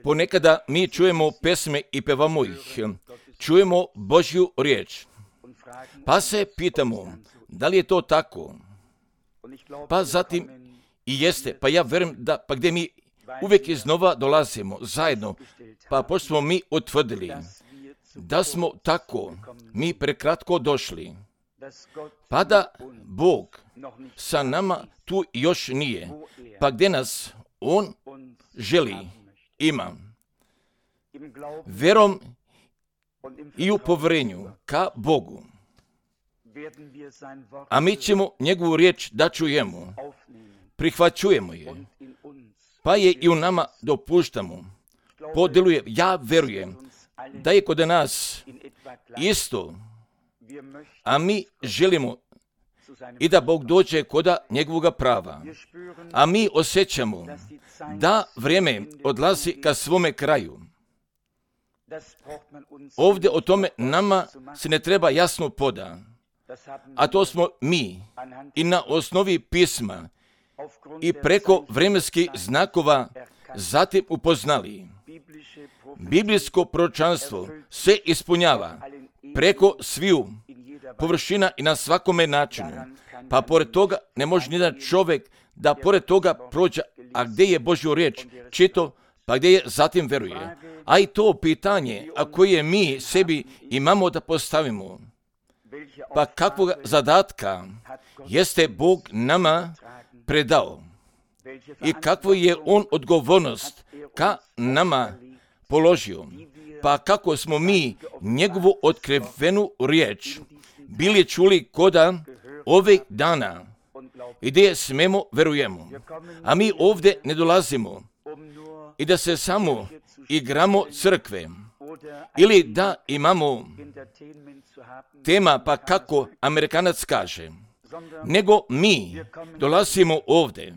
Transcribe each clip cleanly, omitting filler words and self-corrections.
Ponekada mi čujemo pesme i pevamo ih, čujemo Božju riječ, pa se pitamo, da li je to tako? Pa zatim i jeste, pa ja vjerujem da, pa gdje mi uvijek iznova dolazimo zajedno, pa pošto smo mi utvrdili da smo tako mi prekratko došli, pa da Bog sa nama tu još nije, pa gdje nas On želi, ima. Vjerom i u povjerenju ka Bogu. A mi ćemo njegovu riječ da čujemo, prihvaćujemo je, pa je i u nama dopuštamo, podjeluje. Ja vjerujem da je kod nas isto, a mi želimo i da Bog dođe koda njegovoga prava. A mi osjećamo da vrijeme odlazi ka svome kraju. Ovdje o tome nama se ne treba jasno poda, a to smo mi i na osnovi pisma i preko vremenskih znakova zatim upoznali. Biblijsko proročanstvo se ispunjava preko sviju površina i na svakome načinu. Pa pored toga ne može nijedan čovjek da pored toga prođe, a gdje je Božju riječ čito, pa gdje je zatim veruje. A i to pitanje, a koje mi sebi imamo da postavimo, pa kakvog zadatka jeste Bog nama predao i kakvu je On odgovornost ka nama položio, pa kako smo mi njegovu otkrivenu riječ bili čuli koda ovih dana i gdje smemo verujemo. A mi ovdje ne dolazimo i da se samo igramo crkve ili da imamo tema, pa kako Amerikanac kaže, nego mi dolazimo ovdje,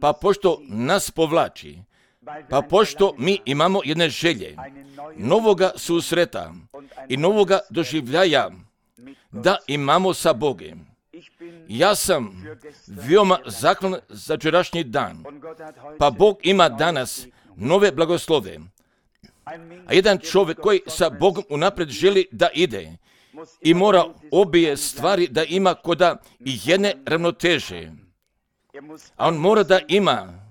pa pošto nas povlači, pa pošto mi imamo jedne želje, novoga susreta i novoga doživljaja da imamo sa Bogom. Ja sam veoma zahvalan za jučerašnji dan, pa Bog ima danas nove blagoslove. A jedan čovjek koji sa Bogom unaprijed želi da ide i mora obje stvari da ima koda i jedne ravnoteže. A on mora da ima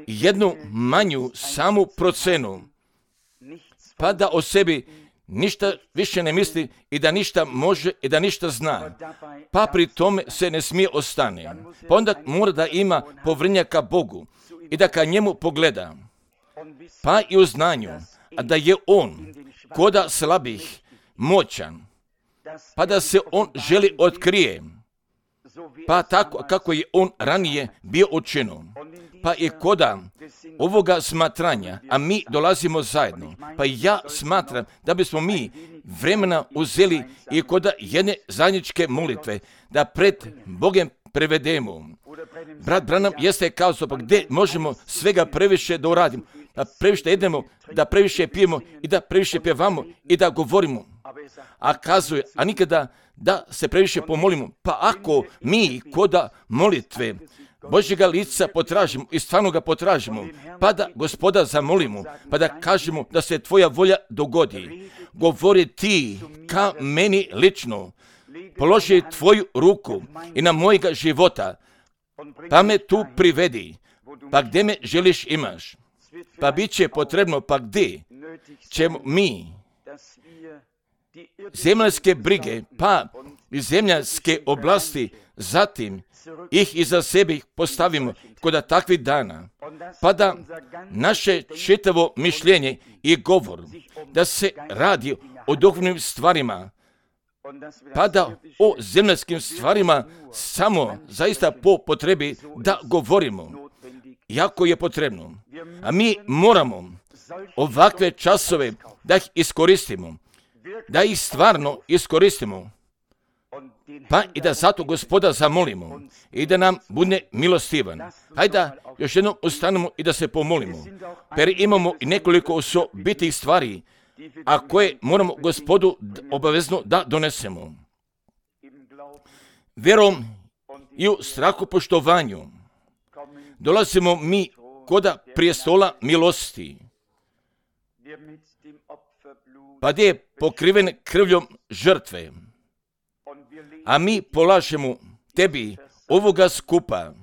jednu manju samu procenu, pa da o sebi ništa više ne misli i da ništa može i da ništa zna, pa pri tome se ne smije ostane. Pa onda mora da ima povjerenja ka Bogu i da ka njemu pogleda, pa i u znanju, a da je On koda slabih moćan, pa da se On želi otkrije, pa tako kako je On ranije bio učinio. Pa i koda ovoga smatranja, a mi dolazimo zajedno, pa ja smatram da bismo mi vremena uzeli i koda jedne zajedničke molitve, da pred Bogom prevedemo. Brat Branham jeste kazao, pa gdje možemo svega previše da uradimo, da previše jedemo, da previše pijemo i da previše pjevamo i da govorimo. A kazuje, a nikada da se previše pomolimo. Pa ako mi koda molitve Božjega lica potražimo i stvarno ga potražimo, pa da Gospoda zamolimo, pa da kažemo da se tvoja volja dogodi. Govori ti ka meni lično, položi tvoju ruku i na mojega života, pa me tu privedi, pa gdje me želiš imaš. Pa bit će potrebno, pa gdje ćemo mi zemljske brige, pa i zemljske oblasti, zatim ih iza sebe postavimo kod takvih dana, pa da naše čitavo mišljenje i govor, da se radi o duhovnim stvarima, pa da o zemljskim stvarima samo zaista po potrebi da govorimo, jako je potrebno. A mi moramo ovakve časove da ih iskoristimo, da ih stvarno iskoristimo, pa i da zato Gospoda zamolimo i da nam bude milostivan. Hajde da još jednom ustanemo i da se pomolimo, jer imamo i nekoliko osobitih stvari, a koje moramo Gospodu obavezno da donesemo. Vjerom i u strahu poštovanju dolazimo mi koda prijestola milosti, pa gdje je pokriven krvljom žrtve, a mi polažemo tebi ovoga skupa,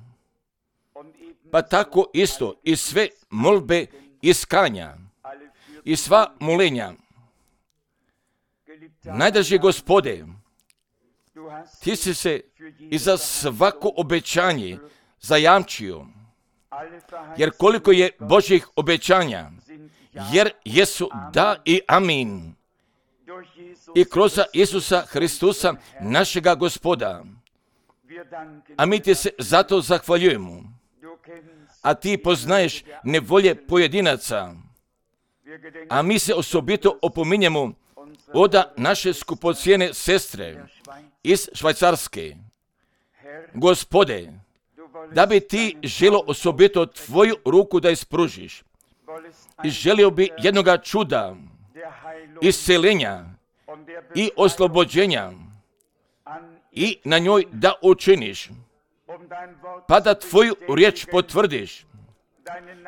pa tako isto i sve molbe iskanja i sva molenja. Najdraži Gospode, ti si se i za svako obećanje zajamčio, jer koliko je Božjih obećanja, jer jesu da i amin. I kroz Isusa Hristusa, našega Gospoda. A mi ti se zato zahvaljujemo. A ti poznaješ nevolje pojedinaca. A mi se osobito opominjemo od naše skupocijene sestre iz Švajcarske. Gospode, da bi ti želo osobito tvoju ruku da ispružiš. I želio bi jednoga čuda, isceljenja i oslobođenja i na njoj da učiniš, pa da tvoju riječ potvrdiš,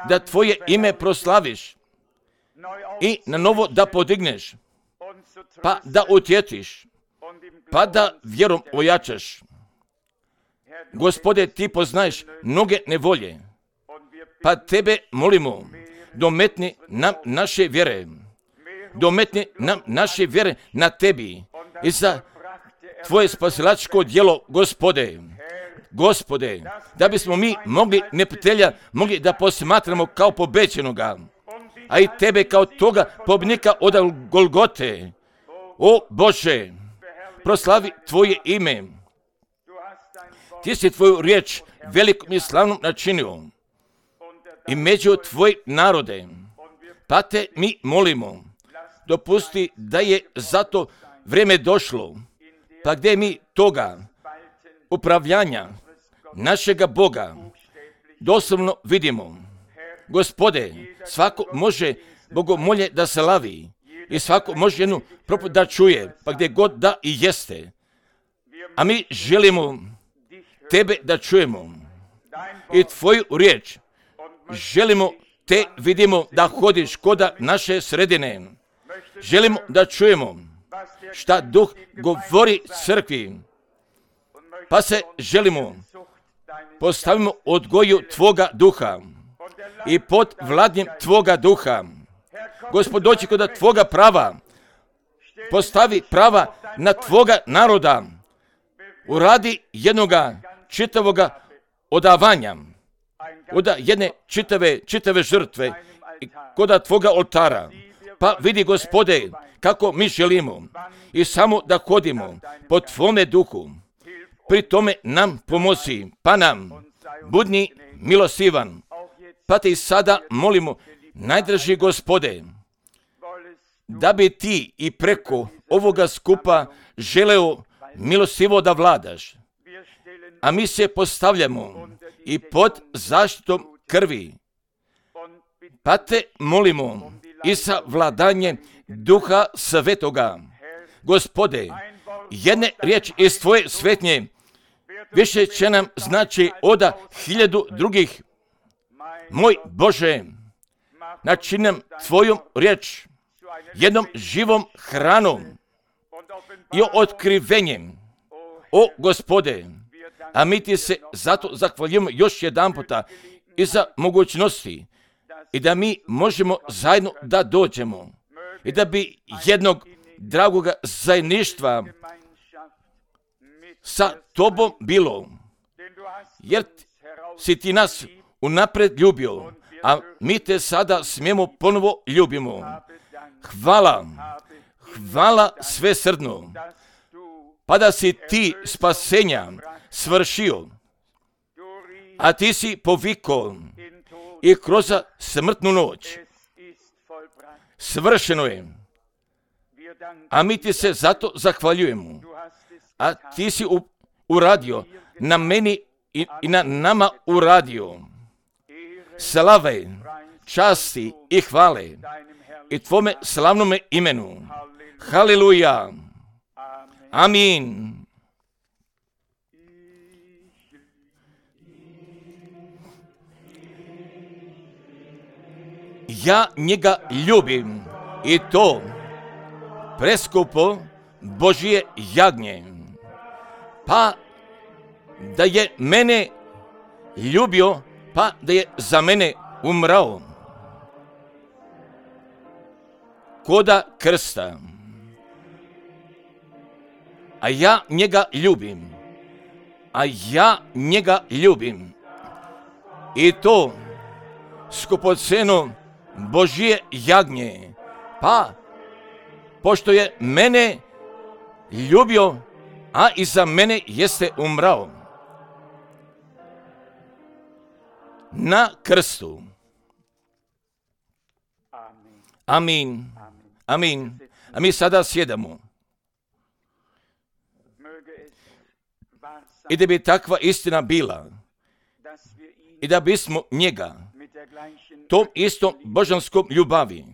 da tvoje ime proslaviš i na novo da podigneš, pa da utjetiš, pa da vjerom ojačaš. Gospode, ti poznaješ mnoge nevolje, pa tebe molimo, dometni nam naše vjere, dometni nam naše vjere na tebi i za tvoje spasilačko djelo, Gospode, da bismo mi mogli neprijatelja mogli da posmatramo kao pobeđenoga, a i tebe kao toga pobjednika od Golgote. O Bože, proslavi tvoje ime. Ti si tvoju riječ velikom i slavnom načinio i među tvoj narode, pa te mi molimo, dopusti da je zato vrijeme došlo, pa gdje mi toga upravljanja našega Boga doslovno vidimo. Gospode, svako može bogomolje da se lavi i svako može jednu propovijed da čuje, pa gdje god da i jeste. A mi želimo tebe da čujemo i tvoju riječ. Želimo te vidimo da hodiš koda naše sredine. Želimo da čujemo šta Duh govori crkvi, pa se želimo postavimo odgoju tvoga duha i pod vladnjem tvoga duha. Gospod, doći kod tvoga prava, postavi prava na tvoga naroda, uradi jednoga čitavoga odavanja, od jedne čitave žrtve kod tvoga oltara. Pa vidi, Gospode, kako mi želimo i samo da hodimo po tvome duhu. Pri tome nam pomozi, pa nam budni milosivan. Pa te i sada molimo, najdraži Gospode, da bi ti i preko ovoga skupa želeo milosivo da vladaš. A mi se postavljamo i pod zaštitom krvi. Pa te molimo i sa vladanje Duha Svetoga. Gospode, jedne riječi iz tvoje svetnje više će nam znači od 1000 drugih. Moj Bože, načini nam tvojom riječ jednom živom hranom i otkrivenjem. O Gospode, a mi ti se zato zahvaljujemo još jedan puta i za mogućnosti i da mi možemo zajedno da dođemo i da bi jednog dragoga zajedništva sa tobom bilo, jer si ti nas unapred ljubio, a mi te sada smijemo ponovo ljubimo. Hvala svesrdno, pa da si ti spasenja svršio, a ti si poviko i kroz smrtnu noć. Svršeno je, a mi ti se zato zahvaljujemo, a ti si uradio na meni i na nama uradio. Slave, časti i hvale i tvome slavnome imenu. Haleluja. Amin. ja njega ljubim i to preskupo Božje jagnje. Pa da je mene ljubio, pa da je za mene umrao. Koda krsta. A ja njega ljubim. A ja njega ljubim. I to skupoceno Božje jagnje. Pa, pošto je mene ljubio, a i za mene jeste umrao. Na krstu. Amin. Amin. A mi sada sjedamo. I da bi takva istina bila, i da bismo njega, tom istom božanskom ljubavi,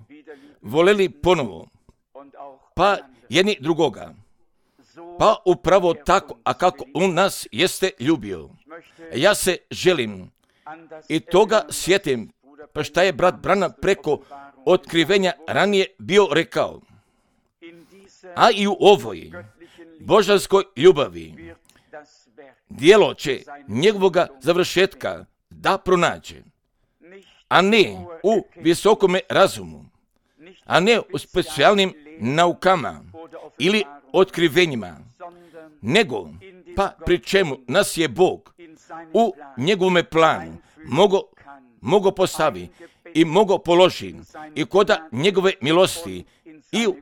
voleli ponovo, pa jedni drugoga, pa upravo tako, a kako on nas jeste ljubio. Ja se želim i toga sjetim, pa šta je brat Branham preko otkrivenja ranije bio rekao. A i u ovoj božanskoj ljubavi djelo će njegovoga završetka da pronađe, a ne u visokome razumu, a ne u specijalnim naukama ili otkrivenjima, nego pa pri čemu nas je Bog u njegovome planu mogo postavi i mogo položi i koda njegove milosti i u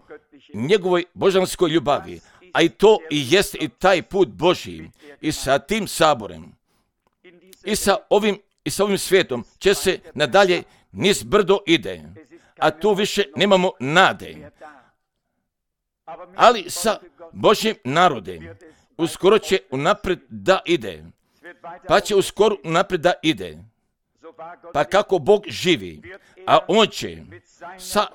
njegovoj božanskoj ljubavi, a i to i jest i taj put Božji i sa tim saborem i sa ovim svijetom će se nadalje niz brdo ide, a tu više nemamo nade. Ali sa Božjim narodem uskoro će unaprijed da ide, pa će uskoro unaprijed da ide. Pa kako Bog živi, a on će sa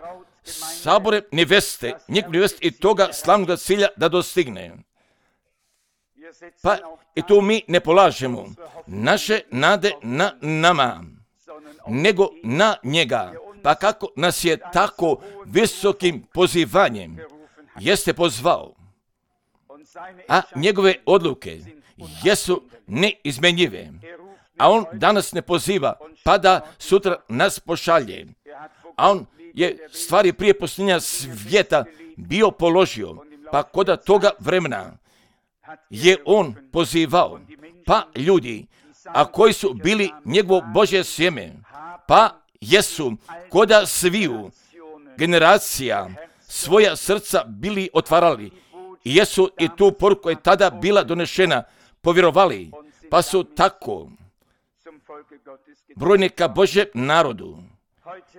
saborem neveste, njegov neveste i toga slavnog cilja da dostigne. Pa i tu mi ne polažemo naše nade na nama, nego na njega. Pa kako nas je tako visokim pozivanjem jeste pozvao, a njegove odluke jesu neizmenjive. A on danas ne poziva, pa da sutra nas pošalje. A on je stvari prije posljednja svijeta bio položio, pa koda toga vremena je on pozivao, pa ljudi, a koji su bili njegovo Božje sjeme, pa jesu koda sviju generacija svoja srca bili otvarali i jesu i tu poruku koja je tada bila donešena povjerovali, pa su tako brojni ka Božjem narodu.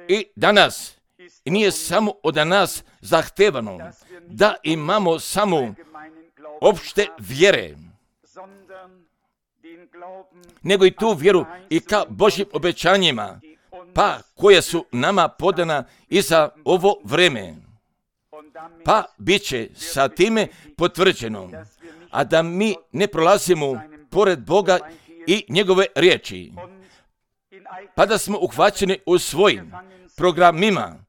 I danas nije samo od nas zahtevano da imamo samo opšte vjere, nego i tu vjeru i ka Božjim obećanjima, pa koje su nama podana i za ovo vreme. Pa bit će sa time potvrđeno, a da mi ne prolazimo pored Boga i njegove riječi, pa da smo uhvaćeni u svojim programima,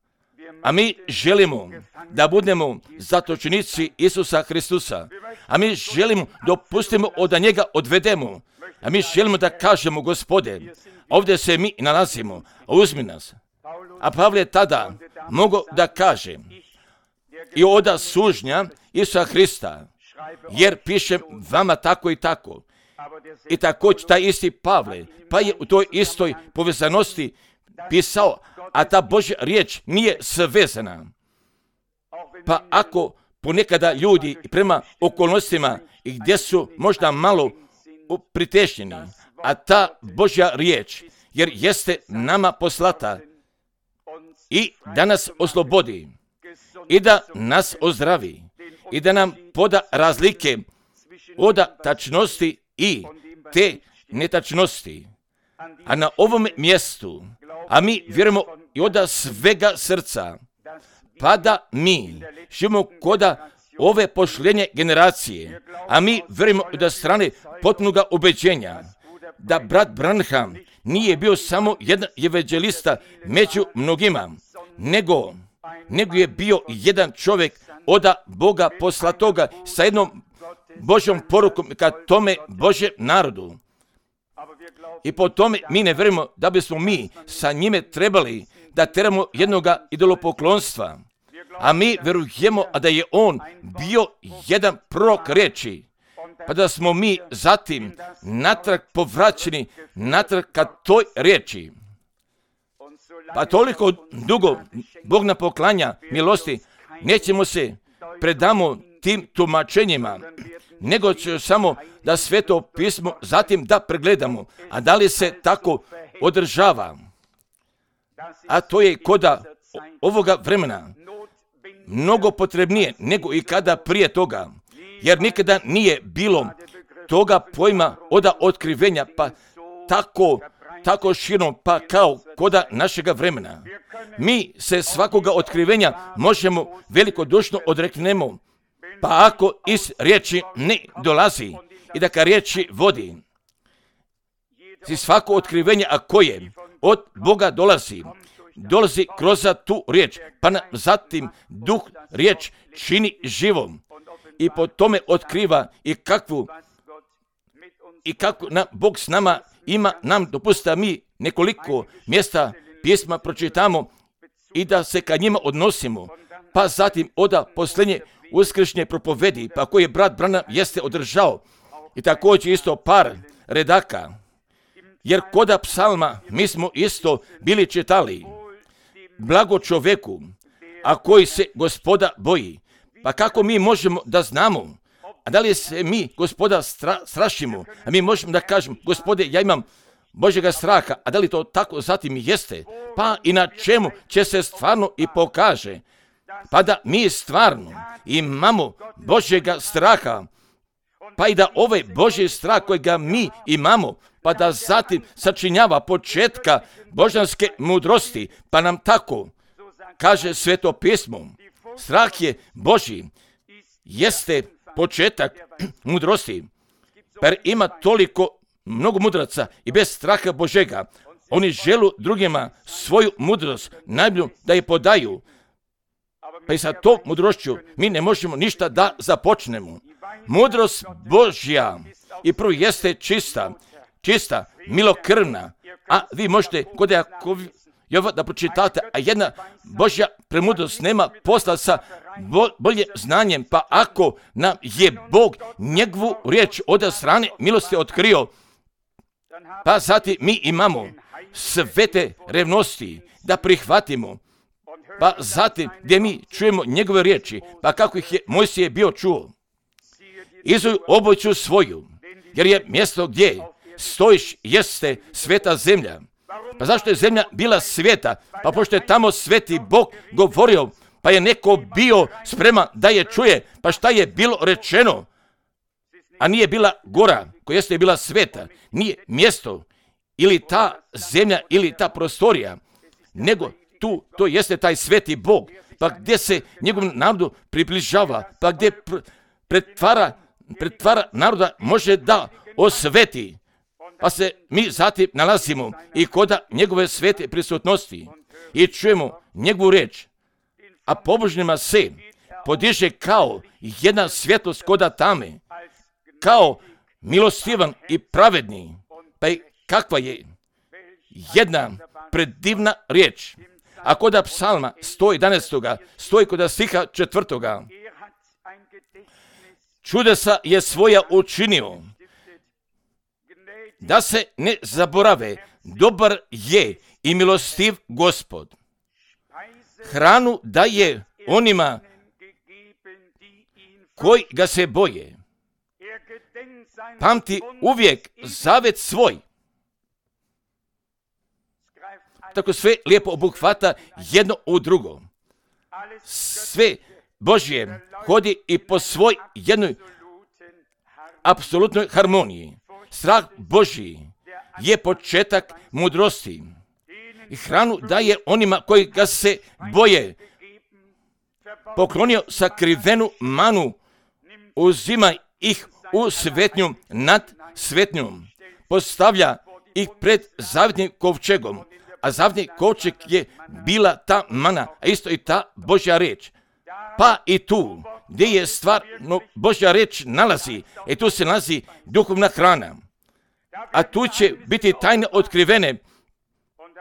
a mi želimo da budemo zatočenici Isusa Hristusa, a mi želimo da pustimo da njega odvedemo, a mi želimo da kažemo, Gospode, ovdje se mi nalazimo, uzmi nas. A Pavle je tada mogao da kaže i oda sužnja Isusa Hrista, jer pišem vama tako i tako. I također taj isti Pavle, pa je u toj istoj povezanosti pisao, a ta Božja riječ nije svezana. Pa ako ponekada ljudi prema okolnostima i gdje su možda malo pritešnjeni, a ta Božja riječ, jer jeste nama poslata i da nas oslobodi i da nas ozdravi i da nam poda razlike od tačnosti i te netačnosti. A na ovom mjestu, a mi vjerujemo i od svega srca, pa da mi živimo koda ove pošljenje generacije, a mi vjerujemo od strane potpunoga ubeđenja, da brat Branham nije bio samo jedan evanđelista među mnogima, nego je bio jedan čovjek od Boga poslatoga sa jednom Božjom porukom ka tome Božjem narodu. I po tome mi ne vjerujemo da bismo mi sa njime trebali da teramo jednoga idolopoklonstva. A mi vjerujemo da je on bio jedan prorok riječi. Pa da smo mi zatim natrag povraćeni, natrag ka toj riječi. Pa toliko dugo Bog nam poklanja milosti, nećemo se predamo tim tumačenjima, nego će samo da Sveto pismo zatim da pregledamo. A da li se tako održava? A to je koda ovoga vremena mnogo potrebnije nego i kada prije toga. Jer nikada nije bilo toga pojma od otkrivenja, pa tako širno, pa kao koda našega vremena. Mi se svakoga otkrivenja možemo velikodušno odreknemo, pa ako iz riječi ne dolazi i da ka riječi vodi. Si svako otkrivenje, a koje od Boga dolazi kroz tu riječ, pa zatim duh riječ čini živom i po tome otkriva i kako Bog s nama ima nam dopusta mi nekoliko mjesta pisma pročitamo i da se ka njima odnosimo, pa zatim oda posljednje uskršnje propovedi, pa koje brat Branham jeste održao i također isto par redaka, jer koda psalma mi smo isto bili čitali, blago čoveku, a koji se Gospoda boji. Pa kako mi možemo da znamo, a da li se mi Gospoda strašimo, a mi možemo da kažemo, Gospode, ja imam Božjega straha, a da li to tako zatim jeste? Pa i na čemu će se stvarno i pokaže? Pa da mi stvarno imamo Božjega straha, pa i da ovaj Božji strah kojega mi imamo, pa da zatim sačinjava početka božanske mudrosti, pa nam tako kaže Sveto pismo. Strah je Božji, jeste početak mudrosti, jer ima toliko mnogo mudraca i bez straha Božega. Oni žele drugima svoju mudrost, najbolju da je podaju. Pa i sa tom mudrošću mi ne možemo ništa da započnemo. Mudrost Božja i prvo jeste čista, milokrvna, a vi možete kod Jakova da pročitate, a jedna Božja premudrost nema posla sa bolje znanjem, pa ako nam je Bog njegovu riječ od strane milosti otkrio, pa zatim mi imamo svete revnosti da prihvatimo, pa zatim gdje mi čujemo njegove riječi, pa kako ih je Mojsije bio čuo. Izuj obuću svoju, jer je mjesto gdje stojiš jeste sveta zemlja. Pa zašto je zemlja bila sveta? Pa pošto je tamo sveti Bog govorio, pa je neko bio spreman da je čuje, pa šta je bilo rečeno? A nije bila gora koja jeste bila sveta, nije mjesto ili ta zemlja ili ta prostorija, nego to jeste taj sveti Bog, pa gdje se njegovom narodu približava, pa gdje pretvara naroda može da osveti. Pa se mi zatim nalazimo i koda njegove svete prisutnosti i čujemo njegovu riječ, a pobožnima se podiže kao jedna svjetlost koda tame, kao milostivan i pravedni. Pa i kakva je jedna predivna riječ. A koda psalma 111. stoji koda stiha 4. Čudesa je svoja učinio, da se ne zaborave, dobar je i milostiv Gospod. Hranu daje onima koji ga se boje. Pamti uvijek zavet svoj. Tako sve lijepo obuhvata jedno u drugo. Sve Božje hodi i po svoj jednoj apsolutnoj harmoniji. Strah Božji je početak mudrosti. I hranu daje onima koji ga se boje. Poklonio sakrivenu manu, uzima ih u svetnju nad svetnjom. postavlja ih pred zavjetnim kovčegom, a zavjetni kovčeg je bila ta mana, a isto i ta Božja riječ. Pa i tu, gdje je stvarno Božja riječ nalazi, tu se nalazi duhovna hrana. A tu će biti tajne otkrivene,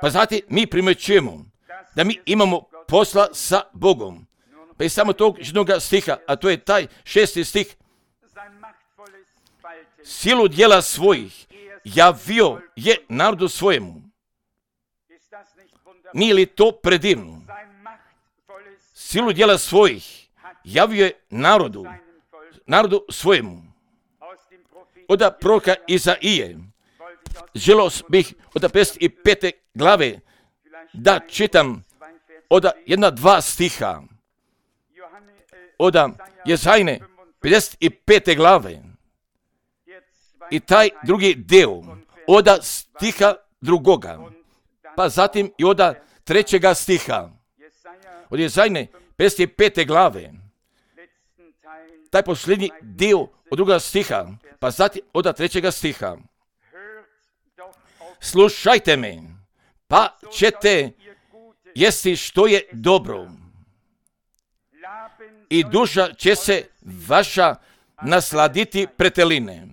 pa zatim mi primjećujemo da mi imamo posla sa Bogom. Pa i samo tog jednog stiha, a to je taj 6. stih. Silu djela svojih javio je narodu svojemu. Nije li to predivno? Silu djela svojih javio je narodu svojemu. Od proroka Izaije, želio bih od 55. glave da čitam od 1-2 stiha. Od Jezajne 55. glave i taj drugi dio od stiha 2. pa zatim i od 3. stiha. Od Jezajne 55. glave, taj posljednji dio od 2. stiha, pa zatim od 3. stiha. Slušajte me, pa ćete jesti što je dobro, i duša će se vaša nasladiti preteline.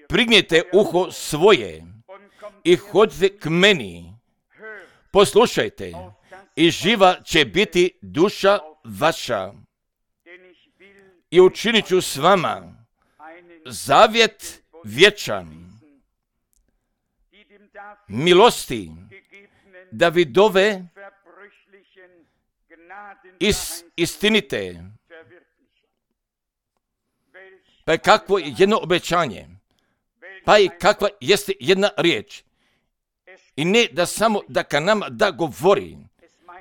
Prignite uho svoje i hodite k meni, poslušajte, i živa će biti duša vaša. I učinit ću s vama zavjet vječan, milosti Davidove istinite. Pa je kakvo jedno obećanje, pa i kakva jeste jedna riječ. I ne da samo da ka nama da govori,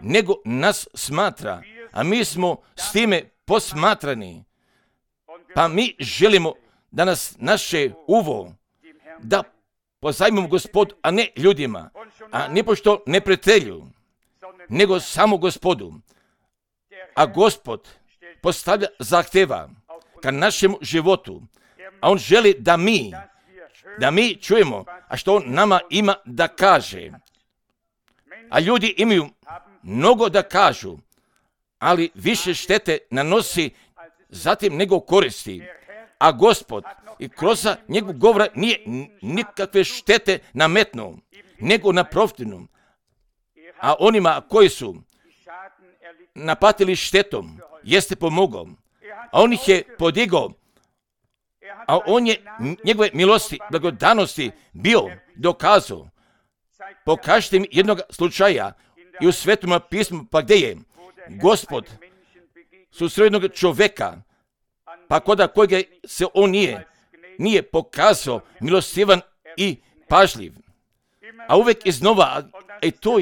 nego nas smatra, a mi smo s time posmatrani. Pa mi želimo da nas naše uvo da pozajmimo Gospodu, a ne ljudima, a nipošto ne prijatelju, nego samo Gospodu. A Gospod postavlja zahtjeva ka našemu životu, a On želi da mi čujemo, a što On nama ima da kaže. A ljudi imaju mnogo da kažu, ali više štete nanosi zatim nego koristi. A Gospod i kroz njegov govor nije nikakve štete nametnuo, nego naprotivno. A onima koji su napatili štetom, jeste pomogao, a on ih je podigao, a on je njegove milosti, blagodanosti bio dokazao. Pokažite mi jednog slučaja i u Svetom pismu, pa gdje je Gospod susreo jednog čovjeka, pa koda kojega se on nije pokazao milostivan i pažljiv. A uvijek iznova, i to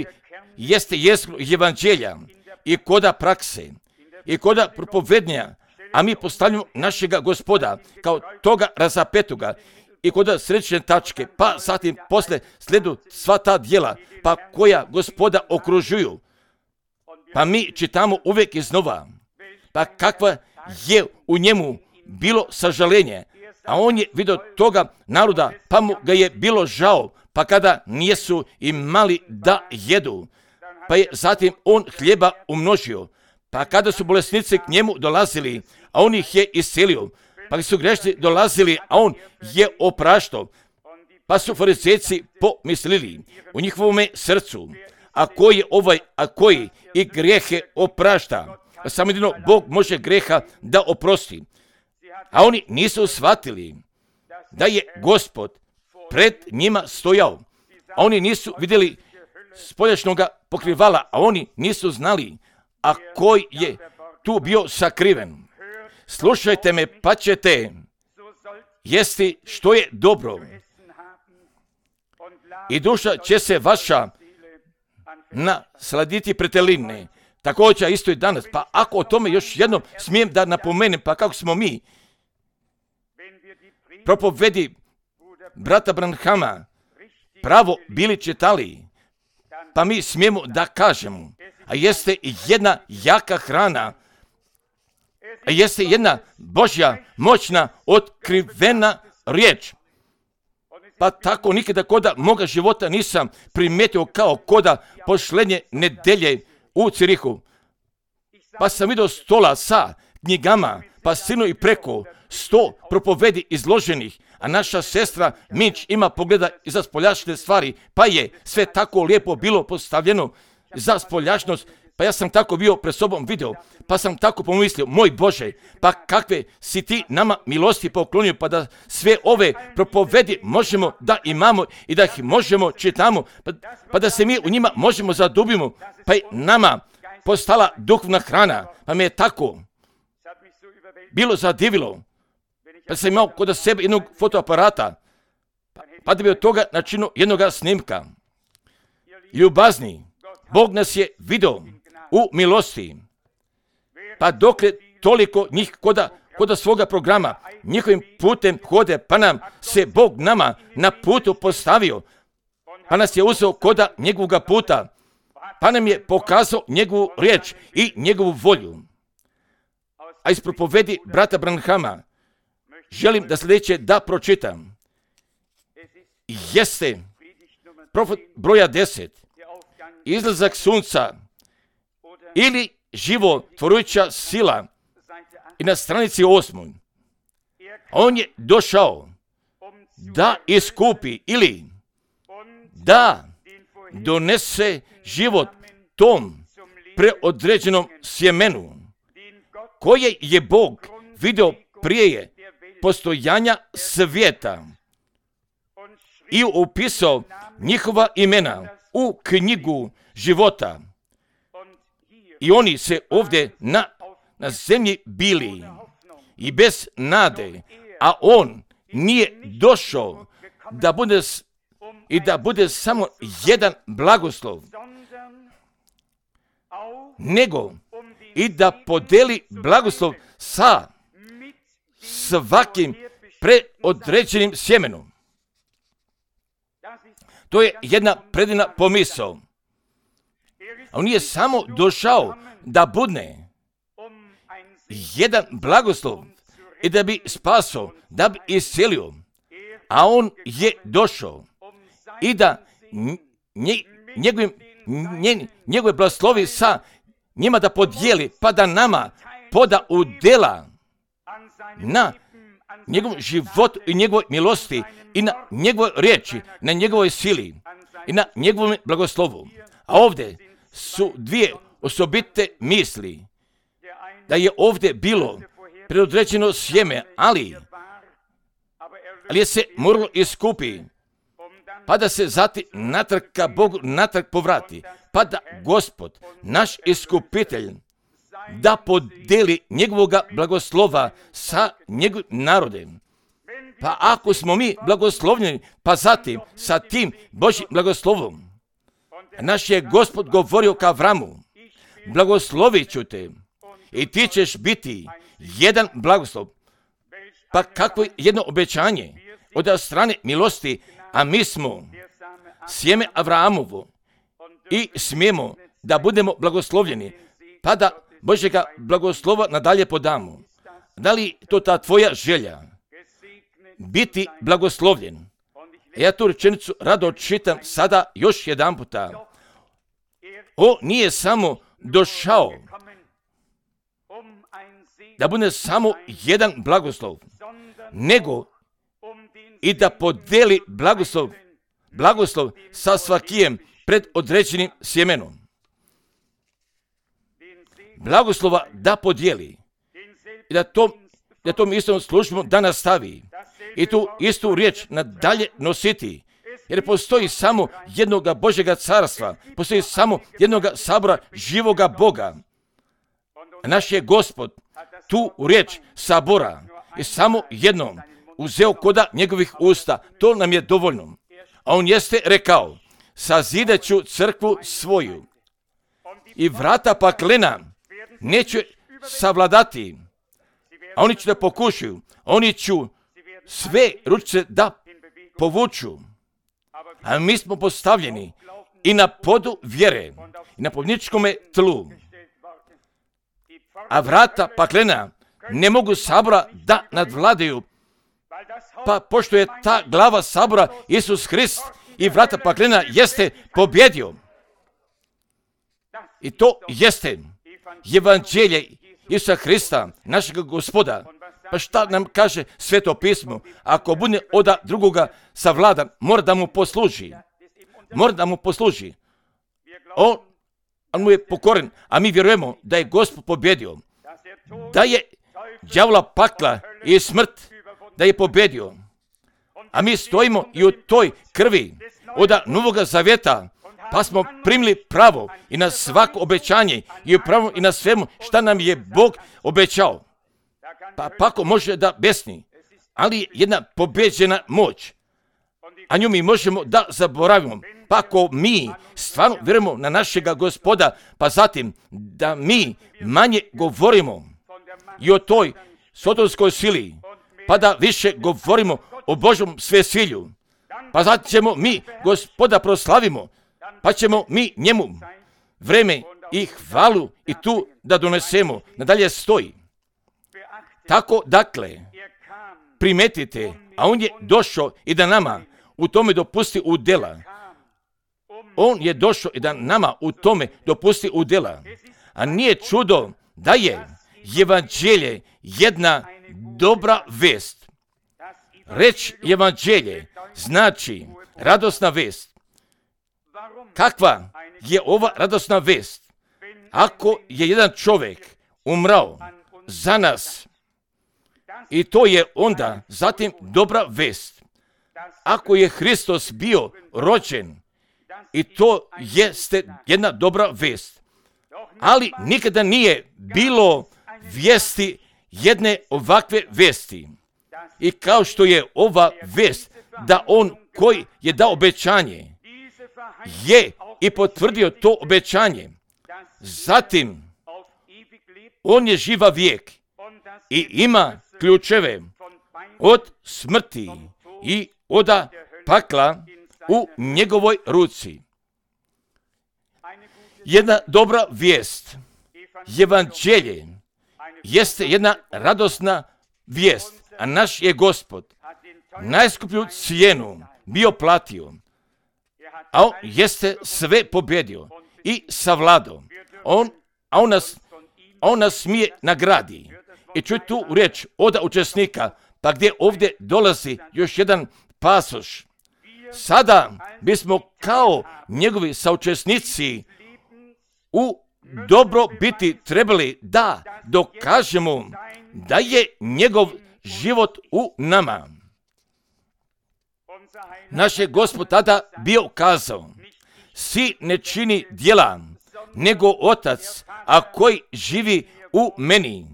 jeste jezgro evanđelja i koda prakse i koda propovednja, a mi postavljamo našega Gospoda kao toga razapetoga i koda središnje tačke, pa zatim posle sledu sva ta djela, pa koja Gospoda okružuju. Pa mi čitamo uvijek iznova, pa kakva je u njemu bilo sažalenje, a on je vidio toga naroda, pa mu ga je bilo žao, pa kada nijesu imali da jedu, pa je zatim on hljeba umnožio, pa kada su bolesnici k njemu dolazili, a on ih je iscelio, pa su grešni dolazili, a on je opraštao, pa su farizejci pomislili u njihovome srcu, a koji i grijehe oprašta. Samo jedino Bog može grijeha da oprosti. A oni nisu shvatili da je Gospod pred njima stojao. A oni nisu vidjeli spoljašnjoga pokrivala, a oni nisu znali, a koji je tu bio sakriven. Slušajte me, pa ćete jesti što je dobro, i duša će se vaša nasladiti preteline. Također isto i danas. Pa ako o tome još jednom smijem da napomenem, pa kako smo mi propovedi brata Branhama pravo bili čitali, pa mi smijemo da kažemo, a jeste jedna jaka hrana, a jeste jedna Božja moćna otkrivena riječ. Pa tako nikada koda moga života nisam primetio kao koda pošlednje nedelje u Cirihu. Pa sam vidio stola sa knjigama, pa sinu i preko 100 propovedi izloženih, a naša sestra Minč ima pogleda i za spoljašnje stvari, pa je sve tako lijepo bilo postavljeno za spoljašnost. Pa ja sam tako bio pred sobom video, pa sam tako pomislio, moj Bože, pa kakve si ti nama milosti poklonio, pa da sve ove propovedi možemo da imamo i da ih možemo čitamo, pa da se mi u njima možemo zadubimo, pa i nama postala duhovna hrana, pa me je tako bilo zadivilo, pa sam imao kod sebe jednog fotoaparata, pa da bi od toga načinio jednog snimka. Ljubazni, Bog nas je vidio u milosti, pa dokle toliko njih koda svoga programa, njihovim putem hode, pa nam se Bog nama na putu postavio, pa nas je uzeo koda njegovoga puta, pa nam je pokazao njegovu riječ i njegovu volju. A iz propovedi brata Branhama želim da sljedeće da pročitam. Jeste profet broja 10, izlazak sunca ili životvorujuća sila, i na stranici 8. On je došao da iskupi ili da donese život tom preodređenom sjemenu koje je Bog vidio prije postojanja svijeta i upisao njihova imena u knjigu života. I oni se ovdje na zemlji bili i bez nade, a on nije došao da bude samo jedan blagoslov, nego i da podeli blagoslov sa svakim preodređenim sjemenom. To je jedna predivna pomisao. On nije samo došao da budne jedan blagoslov i da bi spasao, da bi iscelio, a on je došao i da njegove blagoslovi sa njima da podijeli, pa da nama poda udjela na njegovom životu i njegovoj milosti i na njegovoj riječi, na njegovoj sili i na njegovom blagoslovu. A ovdje su dvije osobite misli, da je ovdje bilo predodređeno sjeme, ali je se moralo iskupi, pa da se zatim natrag ka Bogu natrag povrati, pa da Gospod, naš iskupitelj, da podeli njegovoga blagoslova sa njegovim narodem. Pa ako smo mi blagoslovljeni, pa zatim sa tim Božjim blagoslovom, naš je Gospod govorio ka Avramu, blagoslovit ću te i ti ćeš biti jedan blagoslov. Pa kakvo jedno obećanje od strane milosti, a mi smo sjeme Avramovo i smijemo da budemo blagoslovljeni, pa da Božjega blagoslova nadalje podamo. Da li to ta tvoja želja? Biti blagoslovljen. Ja tu rečenicu rado čitam sada još jedan puta. On nije samo došao da bude samo jedan blagoslov, nego i da podeli blagoslov sa svakijem pred određenim sjemenom. Blagoslova da podijeli i da tom istom službom da nastavi i tu istu riječ nadalje nositi, jer postoji samo jednoga Božjega carstva, postoji samo jednoga sabora živoga Boga. Naš je Gospod tu riječ sabora i samo jednom uzeo koda njegovih usta, to nam je dovoljno. A on jeste rekao, sazidat ću crkvu svoju i vrata paklena neću savladati, a oni će da pokušaju, oni ću sve ručice da povuču, a mi smo postavljeni i na podu vjere i na pobjedničkome tlu, a vrata paklena ne mogu sabora da nadvladaju, Pa pošto je ta glava sabora Isus Hrist i vrata paklena jeste pobjedio. I to jeste evanđelje Isusa Hrista, našeg Gospoda. Pa šta nam kaže Sveto pismo? Ako bude od drugoga savladan, mora da mu posluži. Mora da mu posluži. On mu je pokoren, a mi vjerujemo da je Gospod pobjedio. Da je đavola pakla i smrt, da je pobjedio. A mi stojimo i u toj krvi od Novoga Zavjeta, pa smo primili pravo i na svako obećanje i pravo i na svemu šta nam je Bog obećao. Pa ako može da besni, ali jedna pobjeđena moć, a nju mi možemo da zaboravimo. Pa ako mi stvarno vjerujemo na našega Gospoda, pa zatim da mi manje govorimo i o toj sotonskoj sili, pa da više govorimo o Božom svesilju, pa zatim ćemo mi Gospoda proslavimo, pa ćemo mi njemu vreme i hvalu i tu da donesemo. Nadalje stoji. Tako dakle, primetite, a on je došao i da nama u tome dopusti udjela. On je došao i da nama u tome dopusti udjela. A nije čudo da je evanđelje jedna dobra vest. Reč evanđelje znači radosna vest. Kakva je ova radosna vest? Ako je jedan čovjek umrao za nas, i to je onda zatim dobra vest. Ako je Hristos bio rođen, i to jeste jedna dobra vest. Ali nikada nije bilo vijesti jedne ovakve vesti. I kao što je ova vest da on koji je dao obećanje je i potvrdio to obećanje. Zatim on je živa vijek i ima ključeve od smrti i od pakla u njegovoj ruci. Jedna dobra vijest, evanđelje, jeste jedna radosna vijest, a naš je Gospod najskuplju cijenu bio platio, a on jeste sve pobjedio i savladao. On nas smije nagradi. I čuj tu riječ od učesnika, pa gdje ovdje dolazi još jedan pasoš. Sada bismo kao njegovi saučesnici u dobro biti trebali da dokažemo da je njegov život u nama. Naš je Gospod tada bio kazao, sin ne čini djela, nego Otac, a koji živi u meni.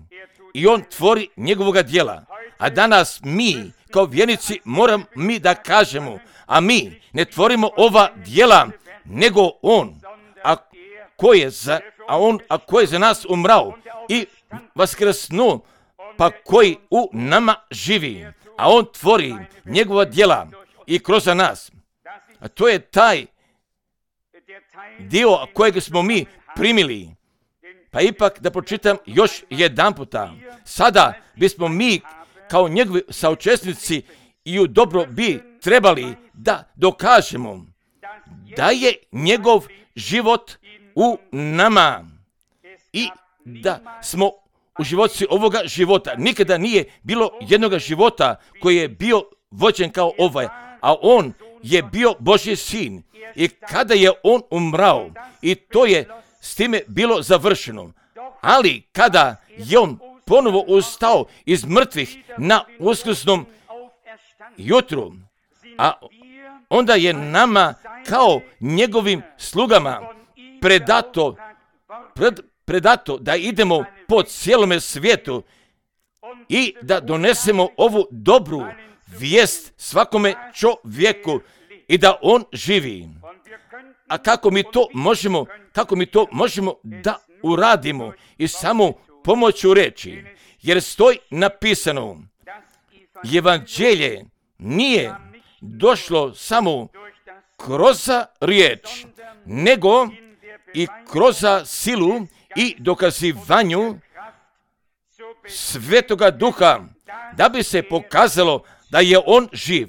I on tvori njegovoga djela. A danas mi, kao vjernici, moram mi da kažemo, a mi ne tvorimo ova djela, nego on, a koji je za nas umrao i vaskrsnuo, pa koji u nama živi, a on tvori njegova djela i kroz nas. A to je taj dio kojeg smo mi primili. Pa ipak da pročitam još jedan puta. Sada bismo mi kao njegovi saučesnici i u dobro bi trebali da dokažemo da je njegov život u nama i da smo u životci ovoga života. Nikada nije bilo jednog života koji je bio vođen kao ovaj, a on je bio Božji sin. I kada je on umrao, i to je s time bilo završeno. Ali kada je on ponovo ustao iz mrtvih na uskrsnom jutru, a onda je nama kao njegovim slugama predato da idemo po cijelome svijetu i da donesemo ovu dobru vijest svakome čovjeku i da on živi. A kako mi to možemo da uradimo i samo pomoću reči, jer stoji napisano, evanđelje nije došlo samo kroz riječ, nego i kroz silu i dokazivanju Svetoga Duha, da bi se pokazalo da je on živ.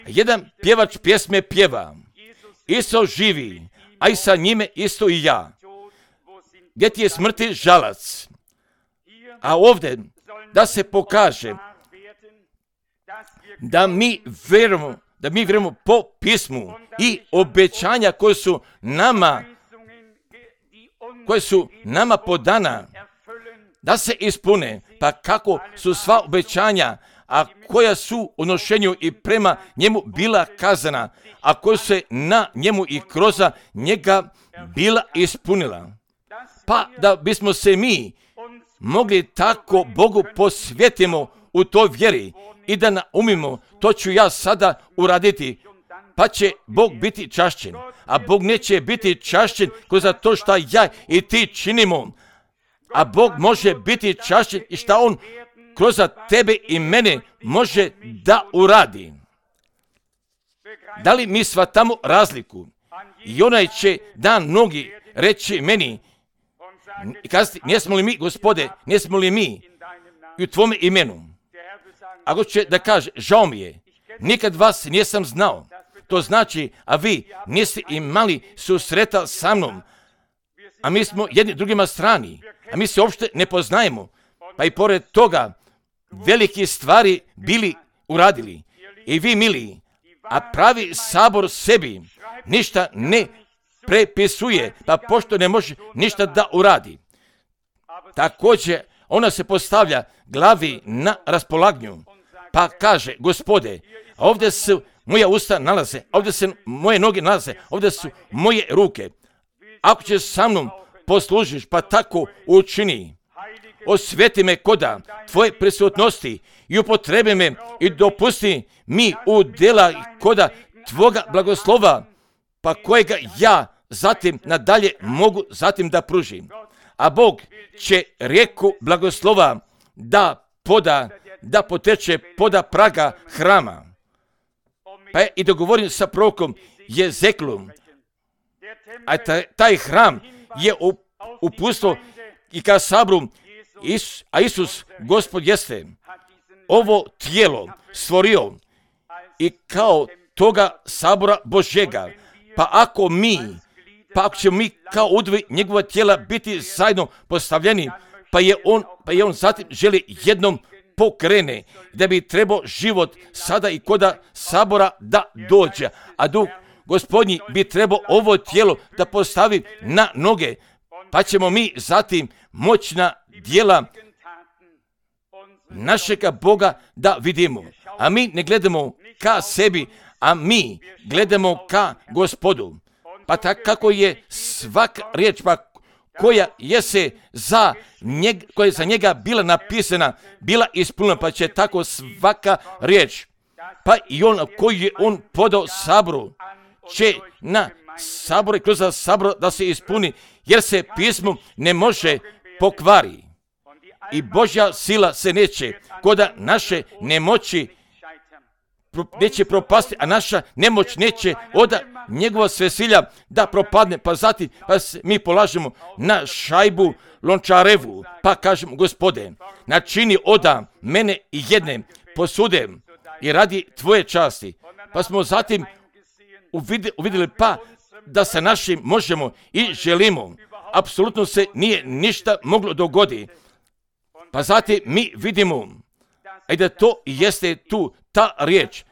Jedan pjevač pjesme pjeva, Isus živi, a i sa njime isto i ja. Gdje ti je smrti žalac? A ovdje da se pokaže da mi vjerujemo po pismu i obećanja koje su nama podana da se ispune. Pa kako su sva obećanja, a koja su u nošenju i prema njemu bila kazana, a koja se na njemu i kroz njega bila ispunila. Pa da bismo se mi mogli tako Bogu posvetimo u toj vjeri i da naumimo, to ću ja sada uraditi, pa će Bog biti čašćen. A Bog neće biti čašćen kroz to što ja i ti činimo, a Bog može biti čašćen i što On kroz tebe i mene može da uradi. Da li mi shvatamo razliku? I onaj će da mnogi reći meni i kazati, jesmo li mi, Gospode, jesmo li mi i u tvome imenu? Ako će da kaže, žao mi je, nikad vas nisam znao. To znači, a vi niste imali susreta sa mnom, a mi smo jedni drugima strani, a mi se uopšte ne poznajemo. Pa i pored toga, velike stvari bili uradili. I vi, mili, a pravi sabor sebi ništa ne prepisuje, pa pošto ne može ništa da uradi. Također, ona se postavlja glavi na raspolaganju, pa kaže, Gospode, ovdje su moja usta nalaze, ovdje se moje noge nalaze, ovdje su moje ruke. Ako ćeš sa mnom poslužiš, pa tako učini. Osveti me koda tvoje prisutnosti i upotrebi me i dopusti mi u djela koda tvoga blagoslova, pa kojega ja zatim nadalje mogu zatim da pružim. A Bog će rijeku blagoslova da poteče poda praga hrama. Pa je i dogovorim sa prorokom Jezeklom, a taj hram je uputstvo i ka sabru, a Isus, Gospod, jeste ovo tijelo stvorio i kao toga sabora Božjega. Pa ako ćemo mi kao udvi njegova tijela biti zajedno postavljeni, pa je on zatim želi jednom pokrene, da bi trebao život sada i koda sabora da dođe, a Duh Gospodnji bi trebao ovo tijelo da postavi na noge, pa ćemo mi zatim moćna djela našega Boga da vidimo. A mi ne gledamo ka sebi, a mi gledamo ka Gospodu. Pa tako kako je svaka riječ koja je za njega bila napisana, bila ispunjena, pa će tako svaka riječ, pa i on koji je on podao saboru, će na saboru i kroz sabor da se ispuni, jer se pismo ne može pokvari. I Božja sila se neće koda naše nemoći neće propasti, a naša nemoć neće od njegova svesilja da propadne, pa zatim mi polažemo na šajbu lončarevu, pa kažemo, Gospode, načini oda mene i jedne posude i radi tvoje časti. Pa smo zatim uvidjeli pa da sa našim možemo i želimo. Apsolutno se nije ništa moglo dogoditi. Pa zatim mi vidimo i da to jeste tu ta riječ,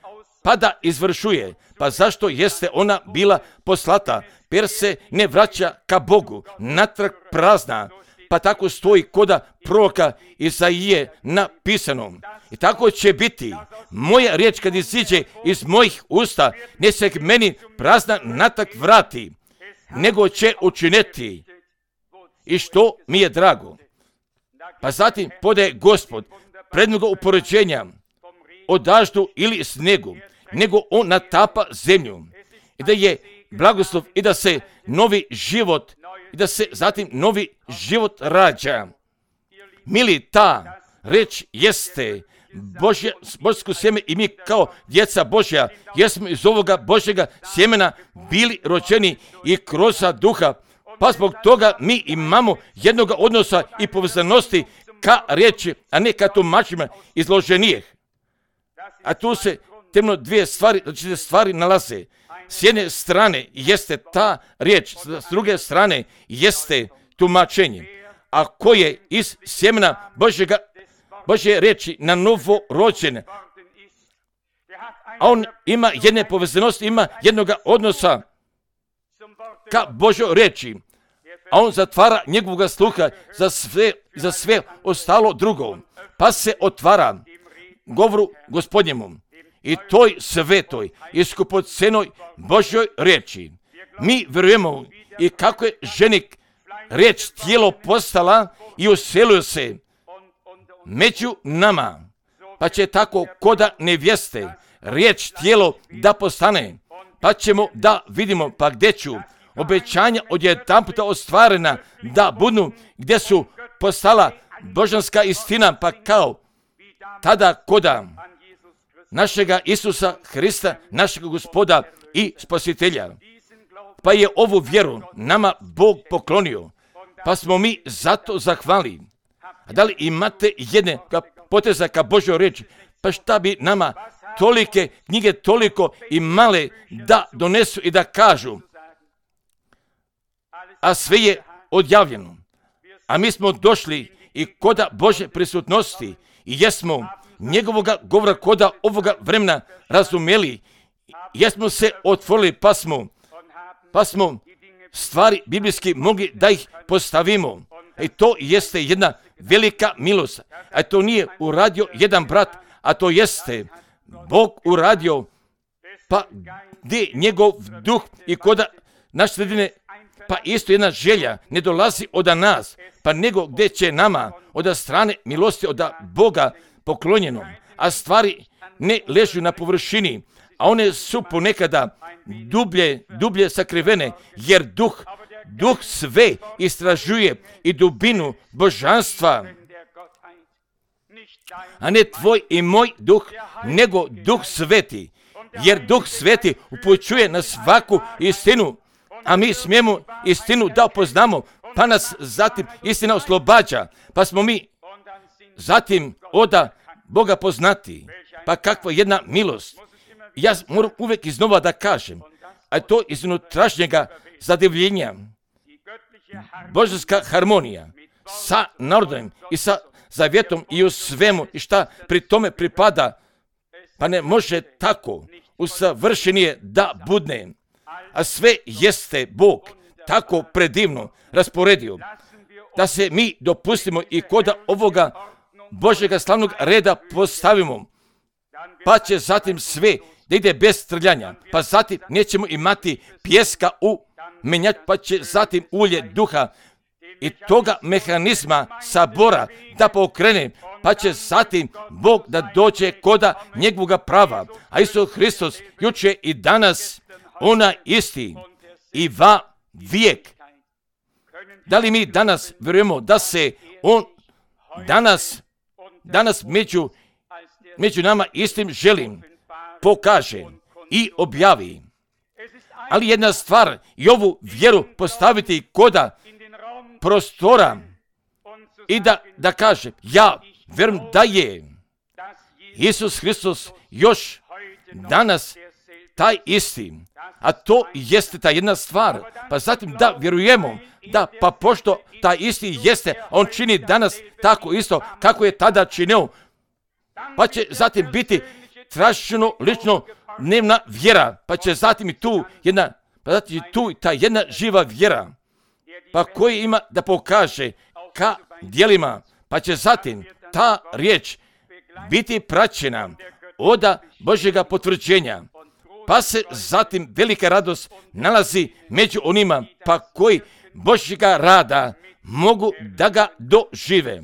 pa da izvršuje. Pa zašto jeste ona bila poslata? Jer se ne vraća ka Bogu, natrag prazna. Pa tako stoji koda proroka Isaije napisano. I tako će biti. Moja riječ kad iziđe iz mojih usta, ne se k meni prazna natrag vrati, nego će učiniti i što mi je drago. Pa zatim podaje Gospod prednoga upoređenja o daždu ili snegu, nego on natapa zemlju. I da je blagoslov i da se novi život, i da se zatim novi život rađa. Mili, ta reč jeste Božsko sjeme i mi kao djeca Božja jesmo iz ovoga Božjega sjemena bili rođeni i kroz duha. Pa zbog toga mi imamo jednoga odnosa i povezanosti ka riječi, a ne ka tumačima izloženijih. A tu se temno dvije stvari, znači stvari nalaze. S jedne strane jeste ta riječ, s druge strane jeste tumačenje. A ko je iz sjemena Božje riječi na novo rođen, a on ima jedne povezanosti, ima jednoga odnosa ka Božoj riječi, a on zatvara njegovog sluha za sve ostalo drugo, pa se otvara govoru Gospodnjemu i toj svetoj i skupocenoj Božjoj riječi. Mi vjerujemo i kako je ženik riječ tijelo postala i uselio se među nama, pa će tako koda nevjeste riječ tijelo da postane, pa ćemo da vidimo pa gdje ću obećanja odjedanputa ostvarena da budu, gdje su postala božanska istina, pa kao tada koda našega Isusa Hrista, našeg Gospoda i Spasitelja. Pa je ovu vjeru nama Bog poklonio, pa smo mi zato zahvali. A da li imate jedne poteza ka Božoj riječi? Pa šta bi nama tolike knjige toliko i male da donesu i da kažu? A sve je odjavljeno. A mi smo došli i koda Božje prisutnosti i jesmo njegovoga govora koda ovoga vremena razumjeli, jesmo se otvorili pa smo stvari biblijski mogli da ih postavimo. I to jeste jedna velika milost. A to nije uradio jedan brat, a to jeste Bog uradio, pa gdje njegov duh i koda naše sredine, pa isto jedna želja ne dolazi od nas, pa nego gdje će nama od strane milosti od Boga poklonjeno, a stvari ne ležu na površini, a one su ponekada dublje sakrivene, jer duh sve istražuje i dubinu božanstva, a ne tvoj i moj duh, nego Duh Sveti, jer Duh Sveti upućuje na svaku istinu, a mi smijemo istinu da poznamo, pa nas zatim istina oslobađa, pa smo mi zatim od Boga poznati. Pa kakva jedna milost. Ja moram uvijek iznova da kažem, a to iz unutrašnjega zadivljenja, božanska harmonija sa narodom i sa zavjetom i u svemu i šta pri tome pripada, pa ne može tako usavršenije da budne. A sve jeste Bog tako predivno rasporedio da se mi dopustimo i koda ovoga Božjega slavnog reda postavimo, pa će zatim sve da ide bez trljanja, pa zatim nećemo imati pjeska u menjač, pa će zatim ulje duha i toga mehanizma sabora da pokrene, pa će zatim Bog da dođe koda njegovoga prava. A Isus Hristos juče i danas ona isti i va vijek. Da li mi danas vjerujemo da se on danas među nama istim želim pokaže i objavi? Ali jedna stvar, i ovu vjeru postaviti koda prostora i da kaže, ja vjerujem da je Isus Hristos još danas taj isti. A to jeste ta jedna stvar. Pa zatim da vjerujemo da pa pošto taj isti jeste, on čini danas tako isto kako je tada činio, pa će zatim biti traženo lično dnevna vjera, pa će zatim i tu ta jedna živa vjera, pa koji ima da pokaže ka djelima, pa će zatim ta riječ biti praćena od Božjega potvrđenja, pa se zatim velika radost nalazi među onima pa koji Božjega rada mogu da ga dožive.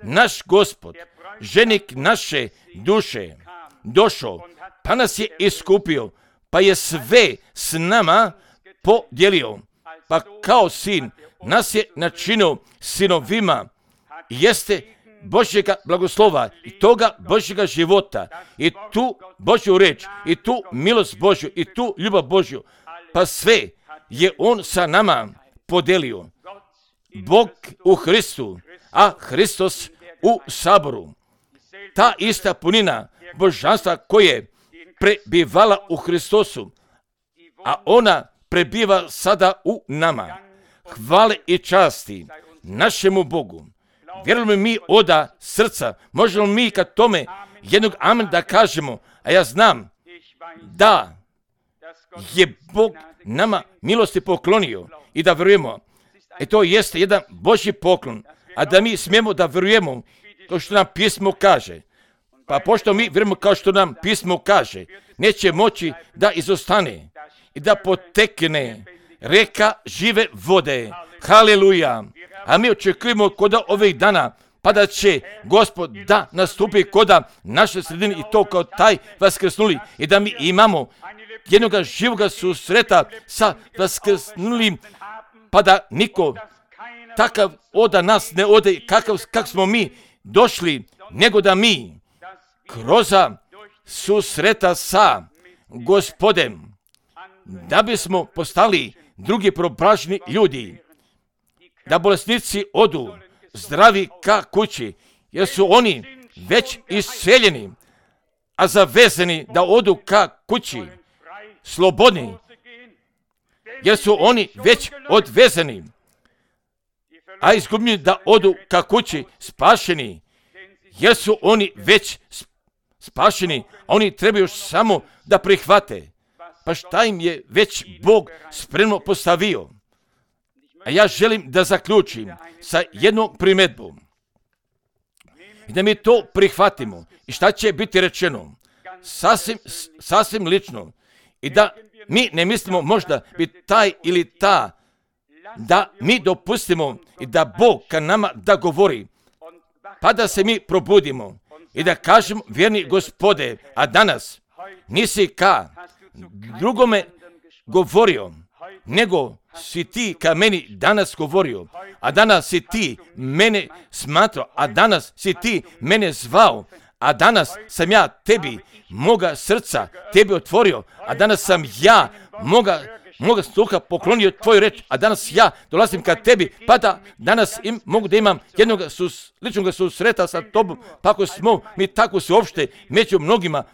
Naš Gospod, ženik naše duše, došao, pa nas je iskupio, pa je sve s nama podijelio, pa kao sin nas je načinio sinovima, jeste Božjega blagoslova i toga Božjega života i tu Božju reč i tu milost Božju i tu ljubav Božju, pa sve je on sa nama podelio. Bog u Hristu, a Hristos u saboru. Ta ista punina božanstva koje prebivala u Hristosu, a ona prebiva sada u nama. Hvale i časti našemu Bogu. Vjerujemo mi oda srca, možemo mi kad tome jednog amen da kažemo, a ja znam da je Bog nama milosti poklonio i da vjerujemo. I to jeste jedan Božji poklon, a da mi smijemo da vjerujemo kao što nam pismo kaže. Pa pošto mi vjerujemo kao što nam pismo kaže, neće moći da izostane i da potekne reka žive vode. Haleluja! A mi očekujemo kod ovih dana, pa da će Gospod da nastupi kod naše sredine i to kao taj vaskrsnuli i da mi imamo jednoga živoga susreta sa vaskrsnulim, pa da niko takav oda nas ne ode kak smo mi došli, nego da mi kroz susreta sa Gospodem, da bismo postali drugi probražni ljudi, da bolesnici odu zdravi ka kući, jer su oni već isceljeni, a zavezani da odu ka kući slobodni, jer su oni već odvezani, a izgubljeni da odu ka kući spašeni, jer su oni već spašeni, a oni trebaju još samo da prihvate. Pa šta im je već Bog spremno postavio? A ja želim da zaključim sa jednom primjedbom. I da mi to prihvatimo. I šta će biti rečeno? Sasvim lično. I da mi ne mislimo možda biti taj ili ta, da mi dopustimo i da Bog ka nama da govori, pa da se mi probudimo i da kažemo, vjerni Gospode, a danas nisi ka drugome govorio, nego si ti ka meni danas govorio, a danas si ti mene smatrao, a danas si ti mene zvao, a danas sam ja tebi, moga srca, tebi otvorio, a danas sam ja moga sluha poklonio tvoju reč, a danas ja dolazim ka tebi, pa da danas mogu da imam jednog ličnog susreta sa tobom, pa ako smo mi tako se uopšte među mnogima,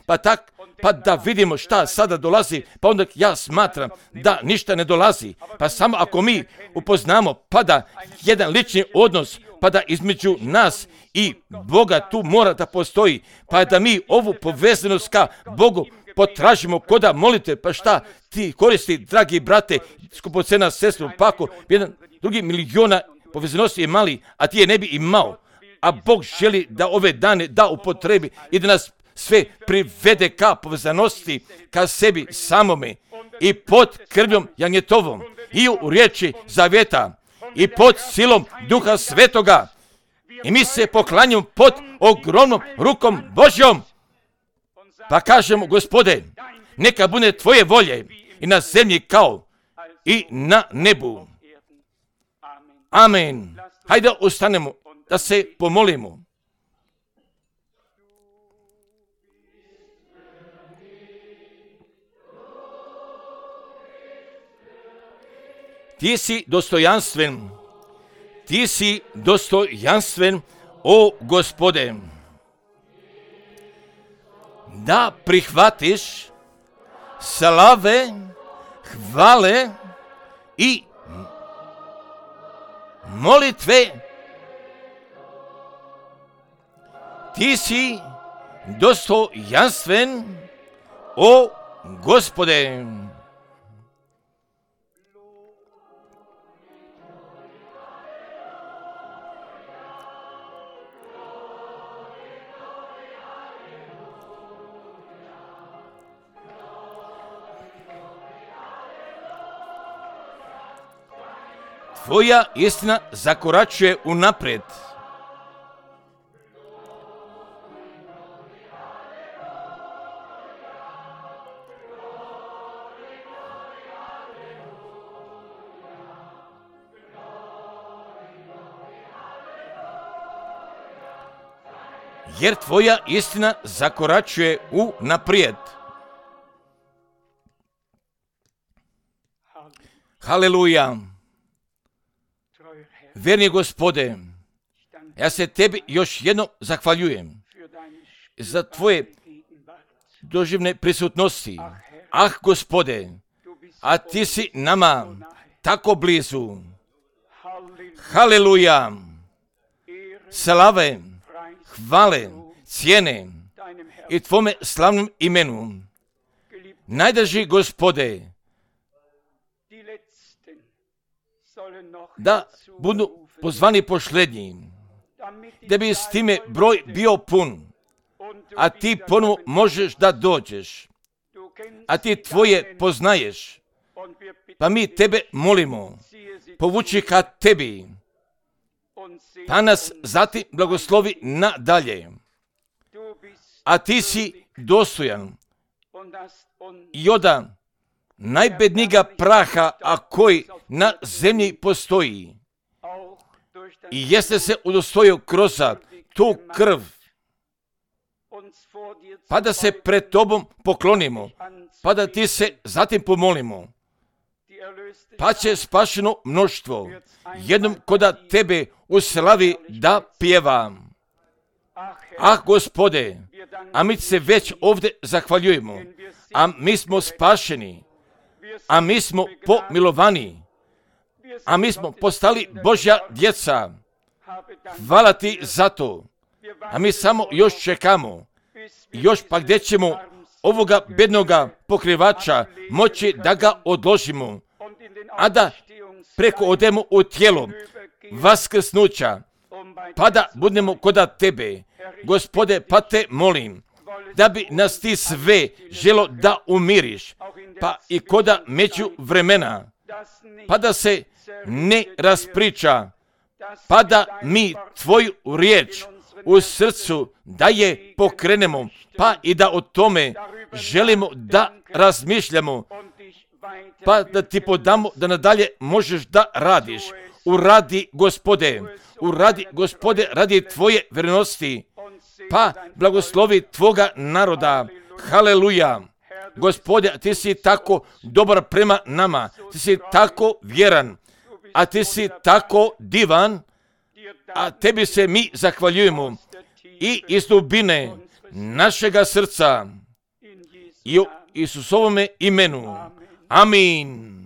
pa da vidimo šta sada dolazi, pa onda ja smatram da ništa ne dolazi, pa samo ako mi upoznamo, pa da jedan lični odnos, pa da između nas i Boga tu mora da postoji, pa da mi ovu povezanost ka Bogu potražimo koda molite, pa šta ti koristi, dragi brate, skupocena sestru, pa ako jedan drugi miliona povezanosti je mali, a ti je ne bi imao, a Bog želi da ove dane da upotrebi i da nas sve privede ka povezanosti, ka sebi samome i pod krvjom Janjetovom i u riječi zavjeta i pod silom Duha Svetoga. I mi se poklanjamo pod ogromnom rukom Božjom. Pa kažemo, Gospode, neka bude tvoje volje i na zemlji kao i na nebu. Amen. Hajde ustanemo da se pomolimo. Ti si dostojanstven, o Gospode, da prihvatiš slave, hvale i molitve. Ti si dostojanstven, o Gospode. Tvoja istina zakoračuje unaprijed. Jer tvoja istina zakoračuje unaprijed. Haleluja. Verni Gospode, ja se tebi još jednom zahvaljujem za tvoje doživne prisutnosti. Ah, Gospode, a ti si nama tako blizu. Haleluja! Slave, hvale, cijene i tvome slavnom imenu. Najdraži Gospode, da budu pozvani posljednji, da bi s time broj bio pun, a ti ponovo možeš da dođeš, a ti tvoje poznaješ, pa mi tebe molimo, povuči ka tebi, pa nas zatim blagoslovi nadalje, a ti si dostojan i oda najbednijega praha, a koji na zemlji postoji. I jeste se udostojio kroz tu krv, pa da se pred tobom poklonimo, pa da ti se zatim pomolimo, pa će spašeno mnoštvo jednom koda tebe u slavi da pjeva. Ah, Gospode, a mi se već ovdje zahvaljujemo, a mi smo spašeni, a mi smo pomilovani, a mi smo postali Božja djeca. Hvala ti za to. A mi samo još čekamo. Još pa gdje ćemo ovoga bednoga pokrivača moći da ga odložimo, a da preko odemo u tijelo vaskrsnuća, pa da budemo koda tebe. Gospode, pa te molim, da bi nas ti sve želo da umiriš, pa i koda među vremena, pa da se ne raspriča, pa da mi tvoju riječ u srcu da je pokrenemo, pa i da o tome želimo da razmišljamo, pa da ti podamo da nadalje možeš da radiš. Uradi, Gospode, radi tvoje vjernosti, pa blagoslovi tvoga naroda. Haleluja! Gospode, ti si tako dobar prema nama, ti si tako vjeran, a ti si tako divan, a tebi se mi zahvaljujemo i iz dubine našega srca i u Isusovome imenu. Amin.